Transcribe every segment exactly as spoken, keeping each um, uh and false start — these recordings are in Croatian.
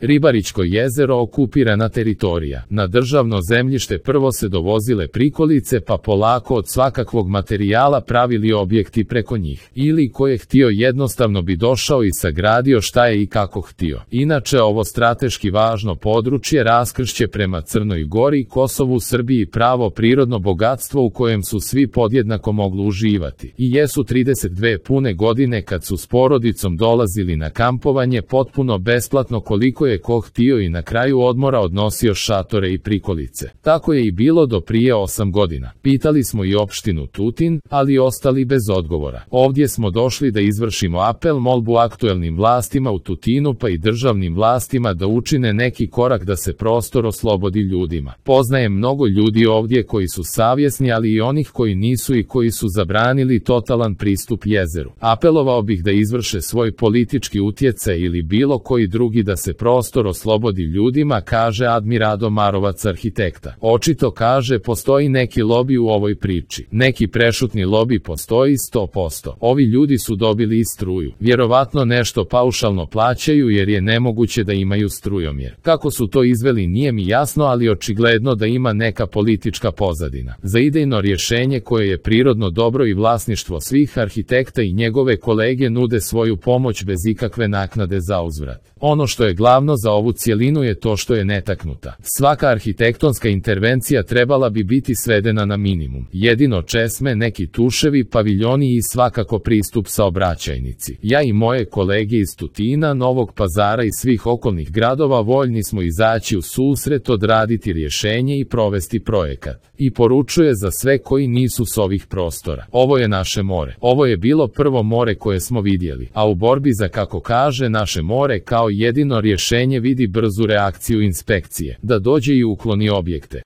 Ribarićko jezero okupirana teritorija. Na državno zemljište prvo se dovozile prikolice pa polako od svakakvog materijala pravili objekti preko njih. Ili ko je htio jednostavno bi došao i sagradio šta je i kako htio. Inače ovo strateški važno područje raskršće prema Crnoj Gori, Kosovu, Srbiji pravo prirodno bogatstvo u kojem su svi podjednako mogli uživati. I jesu trideset dve pune godine kad su s porodicom dolazili na kampovanje potpuno besplatno koliko je ko htio i na kraju odmora odnosio šatore i prikolice. Tako je i bilo do prije osam godina. Pitali smo i opštinu Tutin, ali ostali bez odgovora. Ovdje smo došli da izvršimo apel molbu aktuelnim vlastima u Tutinu pa i državnim vlastima da učine neki korak da se prostor oslobodi ljudima. Poznajem mnogo ljudi ovdje koji su savjesni, ali i onih koji nisu i koji su zabranili totalan pristup jezeru. Apelovao bih da izvrše svoj politički utjecaj ili bilo koji drugi da se prostor oslobodi ljudima, kaže Admirado Marovac, arhitekta. Očito, kaže, postoji neki lobi u ovoj priči. Neki prešutni lobi postoji sto posto. Ovi ljudi su dobili i struju. Vjerovatno nešto paušalno plaćaju jer je nemoguće da imaju strujomjer. Kako su to izveli nije mi jasno, ali očigledno da ima neka politička pozadina. Za idejno rješenje koje je prirodno dobro i vlasništvo svih, arhitekta i njegove kolege nude svoju pomoć bez ikakve naknade za uzvrat. Ono što je glavno za ovu cjelinu je to što je netaknuta. Svaka arhitektonska intervencija trebala bi biti svedena na minimum. Jedino česme, neki tuševi, paviljoni i svakako pristup saobraćajnici. Ja i moje kolege iz Tutina, Novog Pazara i svih okolnih gradova voljni smo izaći u susret, odraditi rješenje i provesti projekat. I poručuje za sve koji nisu s ovih prostora. Ovo je naše more. Ovo je bilo prvo more koje smo vidjeli, a u borbi za, kako kaže, naše more kao jedino rješenje vidi brzu reakciju inspekcije, da dođe i ukloni objekte.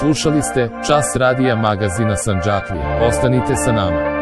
Slušali ste Čas radija magazina Sandžaklija. Ostanite sa nama.